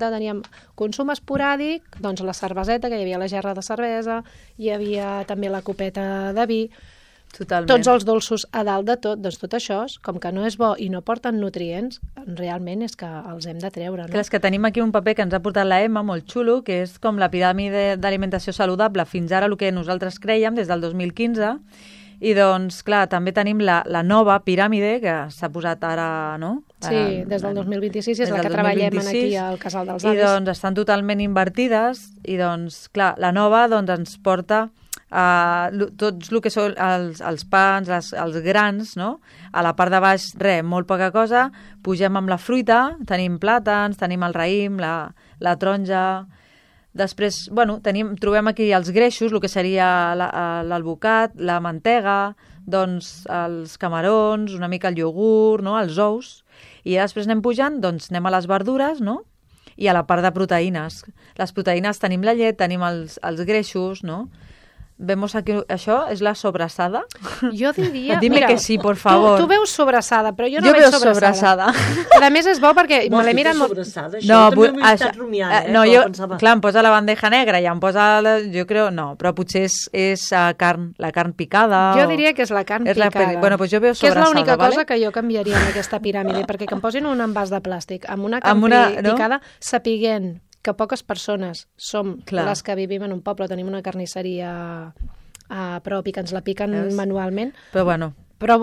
consum esporàdic, doncs la cerveseta, que hi havia la gerra de cervesa, hi havia també la copeta de vi, totalment. Tots els dolços a dalt de tot, doncs tot això, com que no és bo i no porten nutrients, realment és que els hem de treure. No? Clar, és que tenim aquí un paper que ens ha portat la Emma, molt xulo, que és com la piràmide d'alimentació saludable fins ara el que nosaltres creiem des del 2015, i doncs, clar, també tenim la nova piràmide que s'ha posat ara, no? Sí, des del 2026 és la que treballem aquí al Casal dels Avis. I doncs estan totalment invertides i doncs, clar, la nova doncs ens porta Tots el que són els pans, els grans, no? A la part de baix, molt poca cosa. Pugem amb la fruita, tenim plàtans, tenim el raïm, la taronja. Després, trobem aquí els greixos, el que seria l'alvocat, la mantega, doncs els camarons, una mica el iogurt, no? Els ous. I després anem pujant, doncs anem a les verdures, no? I a la part de proteïnes. Les proteïnes tenim la llet, tenim els greixos, no? Vemos aquí, això és la sobrassada. Jo diria... Dime que sí, por favor. Tu veus sobrassada, però jo no veig sobrassada. A més, és bo perquè me l'he mirat molt... No, també m'ho he estat rumiant, no, jo, clar, em posa la bandeja negra i em posa... Jo crec, no, però potser és carn, la carn picada. Jo diria que és la carn picada. Bueno, doncs jo veu sobrassada, que és l'única cosa que jo canviaria en aquesta piràmide, perquè que em posin un envàs de plàstic amb una carn picada, sapiguent que poques persones som les que vivim en un poble, tenim una carnisseria pròpia, que ens la piquen manualment. Però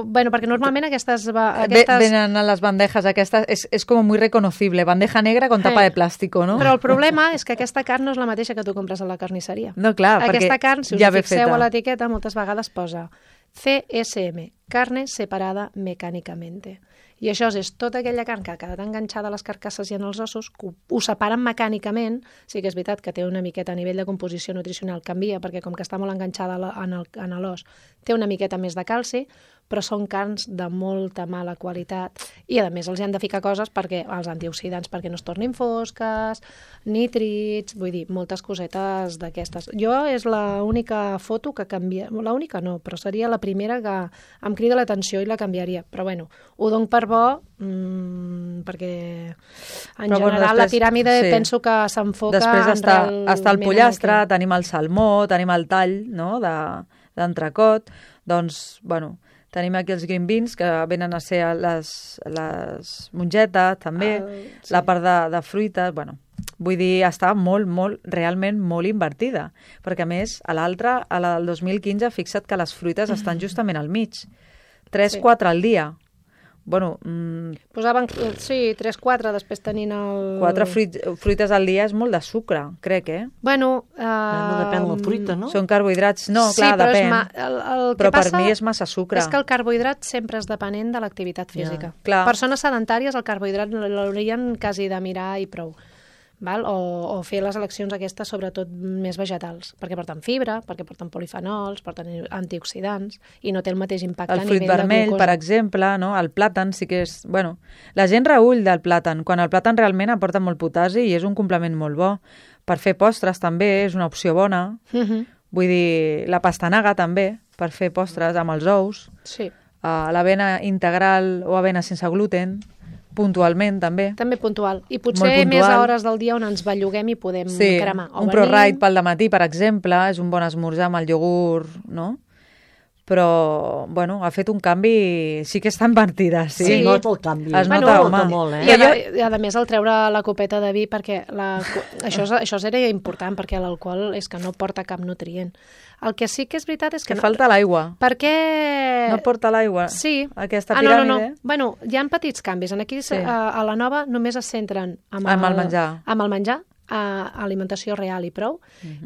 perquè normalment aquestes... Venen a les bandejas aquestes, és com muy reconocible, bandeja negra con tapa de plàstico, no? Però el problema és que aquesta carn no és la mateixa que tu compres a la carnisseria. No, clar, aquesta carn, si us fixeu a l'etiqueta, moltes vegades posa CSM, carne separada mecànicamente. I això és tota aquella carn que ha quedat enganxada a les carcasses i en els ossos, que ho separen mecànicament. Sí que és veritat que té una miqueta a nivell de composició nutricional, canvia, perquè com que està molt enganxada en l'os, té una miqueta més de calci, però són carns de molta mala qualitat i a més els han de ficar coses perquè els antioxidants perquè no es tornin fosques, nítrits, vull dir, moltes cosetes d'aquestes. Jo és l'única foto que canvia, l'única no, però seria la primera que em crida l'atenció i la canviaria, però bueno, ho dono per bo perquè en general la piràmide penso que s'enfoca després està el pollastre, tenim el salmó, tenim el tall, no?, d'entrecot, doncs, bueno, tenim aquí els green beans, que venen a ser les mongetes, també, la part de fruites, bueno, vull dir, està realment molt invertida, perquè a més, a l'altra, a la del 2015, fixa't que les fruites estan justament al mig, 3-4 al dia. Bueno, posaven, 3-4, després tenint el... 4 fruites al dia és molt de sucre, crec, Bueno... no depèn de la fruita, no? Són carbohidrats, no, clar, depèn. Però per mi és massa sucre. És que el carbohidrat sempre és depenent de l'activitat física. Clar. Persones sedentàries, el carbohidrat l'haurien quasi de mirar i prou. Val? O fer les eleccions aquestes sobretot més vegetals, perquè porten fibra, perquè porten polifenols, porten antioxidants i no té el mateix impacte a nivell de glucosa. El fruit vermell, per exemple, no? El plàtan sí que és... Bueno, la gent reüll del plàtan, quan el plàtan realment aporta molt potasi i és un complement molt bo. Per fer postres també és una opció bona. Vull dir, la pastanaga també, per fer postres amb els ous. Sí. L'avena integral o avena sense gluten, puntualment, també. També puntual. I potser més a hores del dia on ens belluguem i podem cremar. Un ProRide pel dematí, per exemple, és un bon esmorzar amb el iogurt, no? Però, bueno, ha fet un canvi... Sí que està invertida, sí. Es nota el canvi. Es nota molt, I a més, el treure la copeta de vi, perquè això era important, perquè l'alcohol és que no porta cap nutrient. El que sí que és veritat és que... falta l'aigua. Per què... No porta l'aigua? Sí. Aquesta piràmide? No. Bueno, hi ha petits canvis. Aquí a la nova només es centren amb el menjar. Amb el menjar, alimentació real i prou,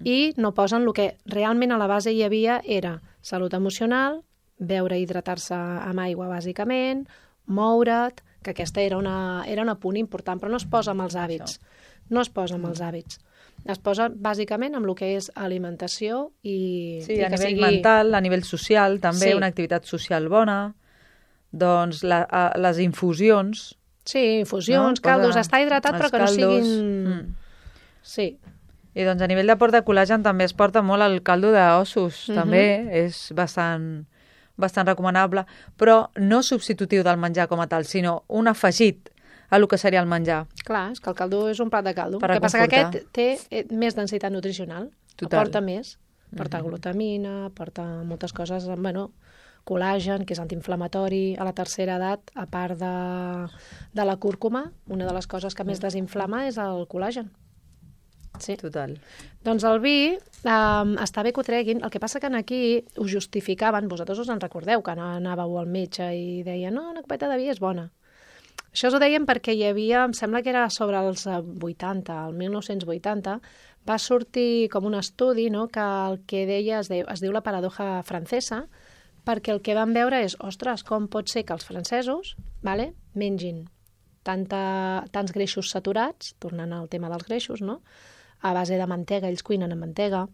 i no posen el que realment a la base hi havia era salut emocional, beure i hidratar-se amb aigua bàsicament, moure't, que aquesta era un punt important, però no es posa amb els hàbits. No es posa amb els hàbits. Es posa bàsicament amb el que és alimentació i... Sí, a nivell mental, a nivell social, també una activitat social bona, doncs les infusions... Sí, infusions, caldos, estar hidratat però que no siguin... Sí. I doncs a nivell d'aport de col·làgen també es porta molt el caldo d'ossos, també és bastant recomanable, però no substitutiu del menjar com a tal, sinó un afegit a el que seria el menjar. Clar, és que el caldo és un plat de caldo. El que passa que aquest té més densitat nutricional, aporta més, porta glutamina, porta moltes coses, bueno, col·làgen, que és antiinflamatori a la tercera edat, a part de la cúrcuma, una de les coses que més desinflama és el col·làgen. Sí. Total. Doncs el vi està bé que ho treguin, el que passa que aquí ho justificaven, vosaltres us en recordeu que anàveu al metge i deien no, una copeta de vi és bona. Això us ho deien perquè hi havia, em sembla que era sobre els 80, el 1980, va sortir com un estudi, no?, que el que deia es diu la paradoja francesa, perquè el que van veure és, ostres, com pot ser que els francesos mengin tants greixos saturats, tornant al tema dels greixos, no?, a base de mantega, ells cuinen amb mantega,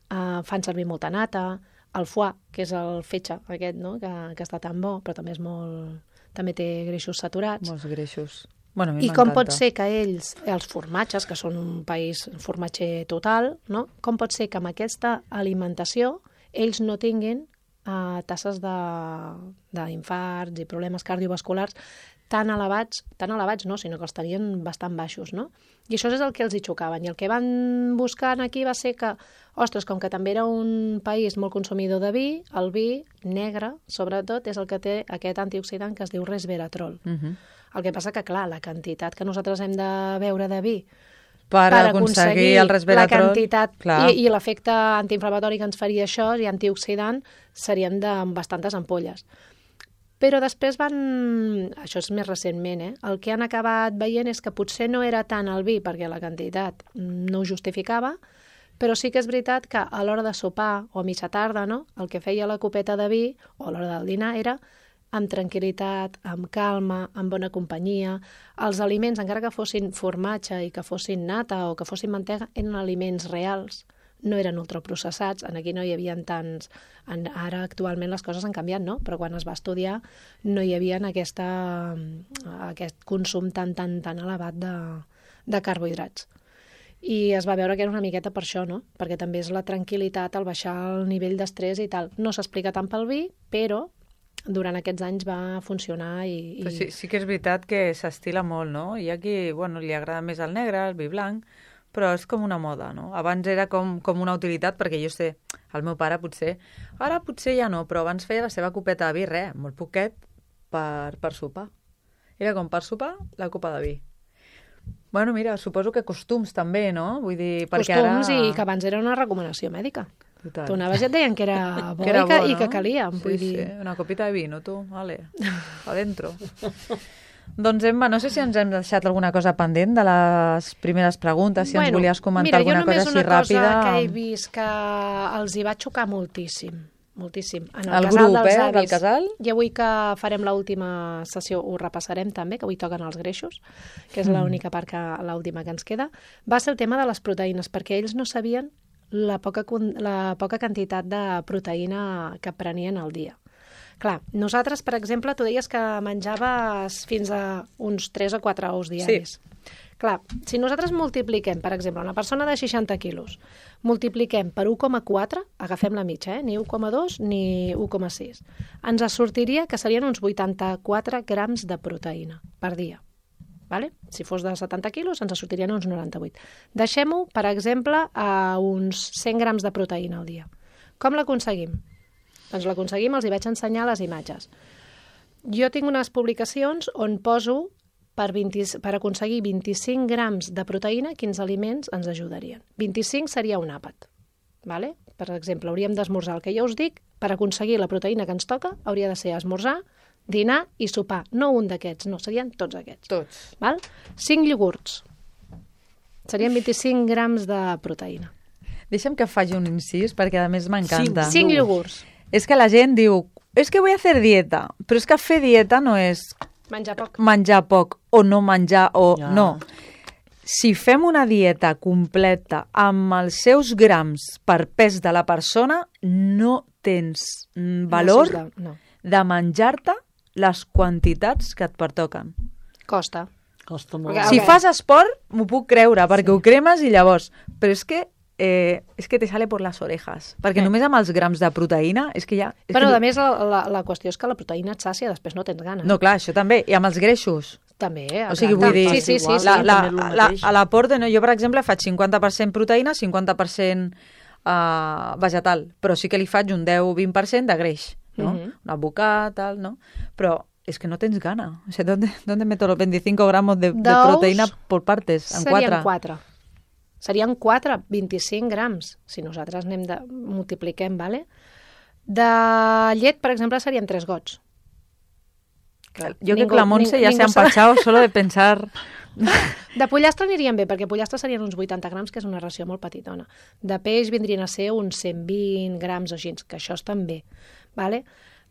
fan servir molta nata, el foie, que és el fetge aquest, no?, que està tan bo, però també també té greixos saturats. Molts greixos. Bueno, a mi I com m'encanta. pot ser que ells, els formatges, que són un país formatger total, no?, com pot ser que amb aquesta alimentació ells no tinguin tasses d'infarts i problemes cardiovasculars tan elevats no, sinó que els tenien bastant baixos, no? I això és el que els hi xocaven. I el que van buscar aquí va ser que, ostres, com que també era un país molt consumidor de vi, el vi negre, sobretot, és el que té aquest antioxidant que es diu resveratrol. El que passa que, clar, la quantitat que nosaltres hem de beure de vi Per aconseguir el resveratrol, la quantitat clar. i l'efecte antiinflamatori que ens faria això i antioxidant serien de bastantes ampolles. Però després això és més recentment, el que han acabat veient és que potser no era tant el vi, perquè la quantitat no ho justificava, però sí que és veritat que a l'hora de sopar o a mitja tarda, no?, el que feia la copeta de vi, o a l'hora del dinar, era amb tranquil·litat, amb calma, amb bona companyia. Els aliments, encara que fossin formatge i que fossin nata o que fossin mantega, eren aliments reals, no eren ultraprocessats, aquí no hi havia tants... Ara actualment les coses han canviat, no? Però quan es va estudiar no hi havia aquest consum tan elevat de carbohidrats. I es va veure que era una miqueta per això, no? Perquè també és la tranquil·litat, el baixar el nivell d'estrès i tal. No s'explica tant pel vi, però durant aquests anys va funcionar i... Però sí que és veritat que s'estila molt, no? Hi ha qui, li agrada més el negre, el vi blanc, però és com una moda, no? Abans era com una utilitat, perquè jo sé, el meu pare potser, ara potser ja no, però abans feia la seva copeta de vi, molt poquet, per sopar. Era com per sopar la copa de vi. Bueno, mira, suposo que costums també, no? Vull dir, perquè costums ara... i que abans era una recomanació mèdica. Total. Tu anaves i et deien que era bo, que era bo, i que calia. Vull dir... Sí, una copita de vino, tu, vale, adentro. Doncs, Emma, no sé si ens hem deixat alguna cosa pendent de les primeres preguntes, si ens volies comentar alguna cosa així ràpida. Mira, jo només una cosa que he vist que els hi va xocar moltíssim. En el grup, del casal? I avui que farem l'última sessió ho repassarem també, que avui toquen els greixos, que és l'única part l'última que ens queda, va ser el tema de les proteïnes, perquè ells no sabien la poca quantitat de proteïna que prenien al dia. Clar, nosaltres, per exemple, tu deies que menjaves fins a uns 3 o 4 ous diaris. Sí. Clar, si nosaltres multipliquem, per exemple, una persona de 60 quilos, multipliquem per 1,4, agafem la mitja, ni 1,2 ni 1,6, ens sortiria que serien uns 84 grams de proteïna per dia. Vale? Si fos de 70 quilos, ens sortirien uns 98. Deixem-ho, per exemple, a uns 100 grams de proteïna al dia. Com l'aconseguim? Doncs l'aconseguim, els hi vaig ensenyar les imatges. Jo tinc unes publicacions on poso per aconseguir 25 grams de proteïna, quins aliments ens ajudarien. 25 seria un àpat. Vale? Per exemple, hauríem d'esmorzar el que ja us dic, per aconseguir la proteïna que ens toca, hauria de ser esmorzar, dinar i sopar. No un d'aquests, no, serien tots aquests. Tots. Val? 5 iogurts. Serien 25 grams de proteïna. Deixa'm que faci un incís, perquè a més m'encanta. 5 iogurts. És que la gent diu, és que vull fer dieta, però és que fer dieta no és menjar poc o no menjar o no. Si fem una dieta completa amb els seus grams per pes de la persona, no tens valor de menjar-te les quantitats que et pertoquen. Costa molt. Si fas esport, m'ho puc creure, perquè ho cremes i llavors... Però és que te sale por las orejas, perquè només amb els grams de proteïna és que ja... Però a més la qüestió és que la proteïna et sàcia, després no tens gana. No, clar, això també, i amb els greixos. També, o sigui, vull dir, sí. a l'aporte, jo per exemple faig 50% proteïna, 50% vegetal, però sí que li faig un 10-20% de greix, no? Un bocat, tal, no? Però es que no tens gana. O sea, ¿dónde meto los 25 gramos de proteïna por partes? En 4? Serien 4, 25 grams, si nosaltres multipliquem, ¿vale? De llet, per exemple, serien 3 gots. Yo creo que la Montse ya se ha empachado solo de pensar De pollastre anirien bé, perquè pollastre serien uns 80 grams, que és una ració molt petitona. De peix vindrien a ser uns 120 grams o així, que això estan bé. Vale?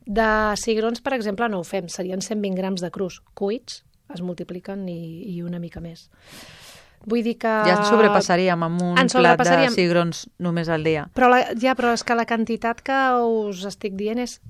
De cigrons, per exemple, no ho fem, serien 120 grams de crus. Cuits es multipliquen i una mica més. Vull dir que... Ja ens sobrepassaríem amb un plat de cigrons només al dia. Però és que la quantitat que us estic dient és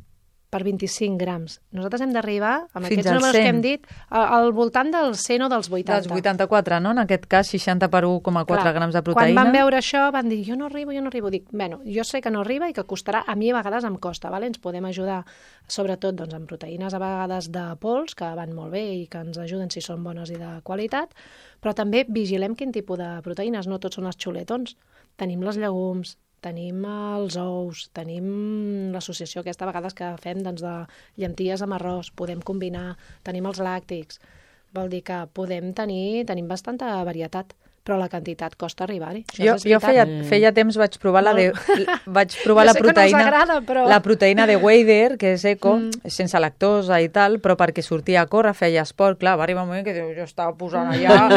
per 25 grams. Nosaltres hem d'arribar, amb fins aquests números que hem dit, al voltant dels 100 o dels 80. Dels 84, no? En aquest cas, 60 per 1,4 grams de proteïna. Quan van veure això, van dir, jo no arribo. Dic, bueno, jo sé que no arriba i que costarà, a mi a vegades em costa, vale? Ens podem ajudar, sobretot doncs, amb proteïnes a vegades de pols, que van molt bé i que ens ajuden si són bones i de qualitat, però també vigilem quin tipus de proteïnes, no tots són els xuletons. Tenim les llegums, tenim els ous, tenim l'associació aquesta a vegades que fem doncs, de llenties amb arròs, podem combinar, tenim els làctics, vol dir que tenim bastanta varietat, però la quantitat costa arribar-hi. Jo feia temps vaig provar la proteïna, però... la proteïna de Weider, que és eco, sense lactosa i tal, però perquè sortia a córrer, feia esport, clar, va arribar un moment que jo estava posant allà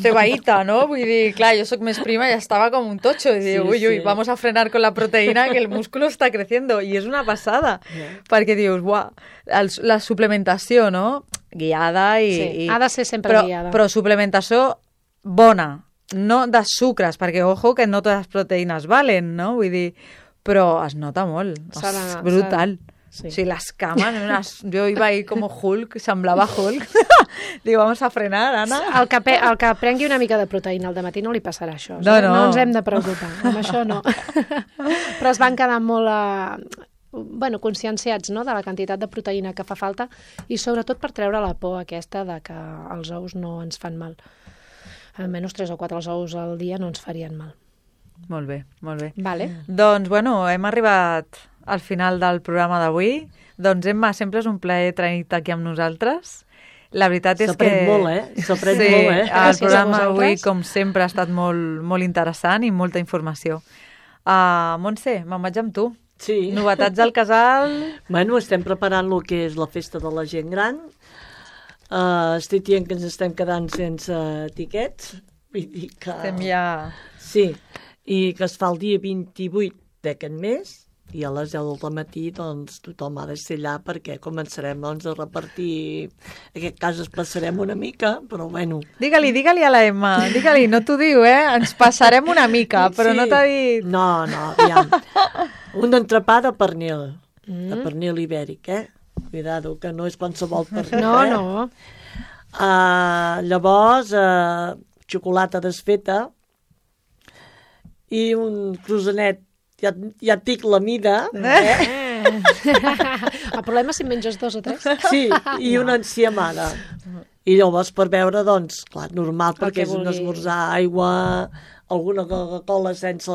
cebaïta, no? Vull dir, clar, jo sóc més prima i estava com un totxo, i diu, ui, vamos a frenar con la proteïna que el músculo está creciendo, i és una passada, perquè dius, buah, la suplementació, no? Guiada i... Sí, ha de ser sempre guiada. Però suplementació bona, no de sucres, perquè, ojo, que no totes les proteïnes valen, no? Vull dir, però es nota molt, és brutal. Sí. O sigui, les cames, jo iba ahí como Hulk, semblava Hulk. Digo, vamos a frenar, Anna. El que prengui una mica de proteïna al dematí no li passarà això. No ens hem de preocupar, amb això no. Però es van quedar molt... conscienciats, no?, de la quantitat de proteïna que fa falta i sobretot per treure la por aquesta de que els ous no ens fan mal. Almenys 3 o 4 ous al dia no ens farien mal. Molt bé, molt bé. Vale. Doncs, bueno, hem arribat al final del programa d'avui. Doncs, Emma, sempre és un plaer tenir-te aquí amb nosaltres. La veritat és que... S'aprèn molt, S'aprèn molt, el programa d'avui, com sempre, ha estat molt, molt interessant i molta informació. Montse, me'n vaig amb tu. Sí. Novetats al casal? Bueno, estem preparant el que és la festa de la gent gran. Estic dient que ens estem quedant sense tiquets. Vull dir que... Estem ja... Sí, i que es fa el dia 28 d'aquest mes i a les 10 del matí doncs, tothom ha de ser allà perquè començarem doncs, a repartir... En aquest cas es passarem una mica, però bueno... Digue-li a la Emma, digue-li, no t'ho diu, ens passarem una mica, però no t'ha dit... No, aviam. Un entrepà de pernil, de pernil ibèric, Cuidado, que no és qualsevol pernil. No. Llavors, xocolata desfeta i un croissanet, ja et dic la mida. El problema és si menges 2 o 3. Sí, i una enciamada. I llavors per beure, doncs, clar, normal, perquè és un esmorzar, aigua, alguna Coca-Cola sense...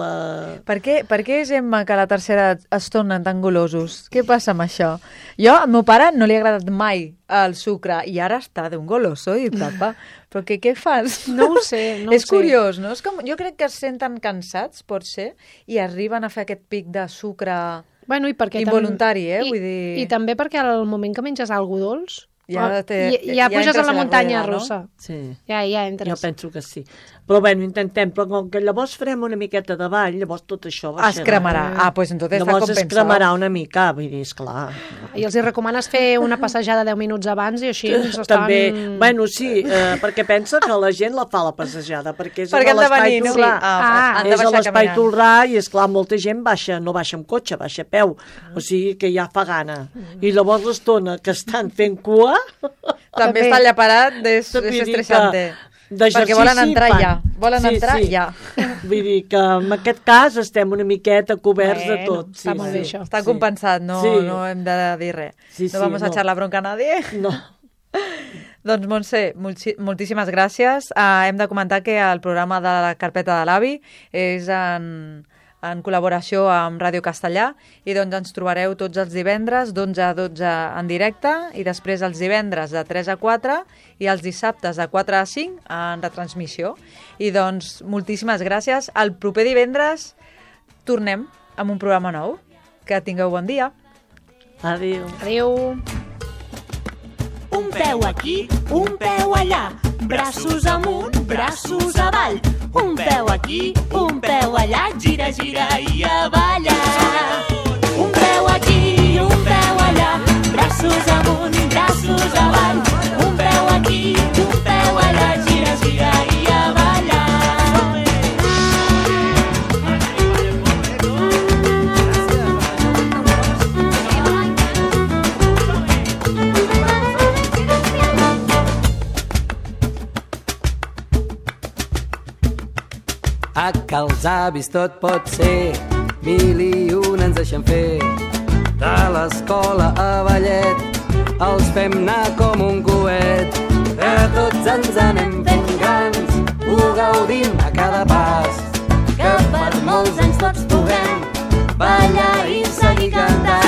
Per què és, Emma, que a la tercera es tornen tan golosos? Què passa amb això? Jo, al meu pare no li ha agradat mai el sucre i ara està d'un goloso i papa. Però què fas? No ho sé, És curiós, no? És com, jo crec que es senten cansats, pot ser, i arriben a fer aquest pic de sucre involuntari, vull dir... I també perquè al moment que menges alguna dolç, ja puges entres a la muntanya rueda, russa. No? Sí. Ja entres. Jo penso que sí. Però bueno, intentem, però com que llavors farem una miqueta de ball, llavors tot això es cremarà. Pues entonces està llavors compensat. es cremarà una mica, vull dir, esclar. I els hi recomanes fer una passejada 10 minuts abans i així ens estan... També, bueno, sí, perquè pensa que la gent la fa la passejada, perquè és a han de l'espai venir, no? Tolrà. Han de És a baixar l'espai caminant. Tolrà i, esclar, molta gent no baixa amb cotxe, baixa a peu. O sigui que ja fa gana. I llavors l'estona que estan fent cua... També està allà parat, és estressante. Perquè volen entrar ja. Ja. Vull dir que en aquest cas estem una miqueta coberts de tot. Està molt bé això. Està compensat, no hem de dir res. No vamos a echar la bronca a nadie. No. Doncs, Montse, moltíssimes gràcies. Hem de comentar que el programa de la carpeta de l'AVI és en col·laboració amb Ràdio Castellà i doncs ens trobareu tots els divendres d'11 a 12 en directe i després els divendres de 3 a 4 i els dissabtes de 4 a 5 en retransmissió. I doncs moltíssimes gràcies. El proper divendres tornem amb un programa nou. Que tingueu bon dia. Adéu. Adéu. Un peu aquí, un peu allà. braços amunt, braços avall. Un peu aquí, un peu allà, gira, gira i a ballar. Un peu aquí, un peu allà, braços amunt, braços avall. Un peu aquí, un peu allà, gira, gira i a ballar. A que els avis tot pot ser, 1001 ens deixen fer. De l'escola a ballet, els fem anar com un coet. Que tots ens anem fent grans, ho gaudim a cada pas. Que per molts anys tots puguem ballar i seguir cantant.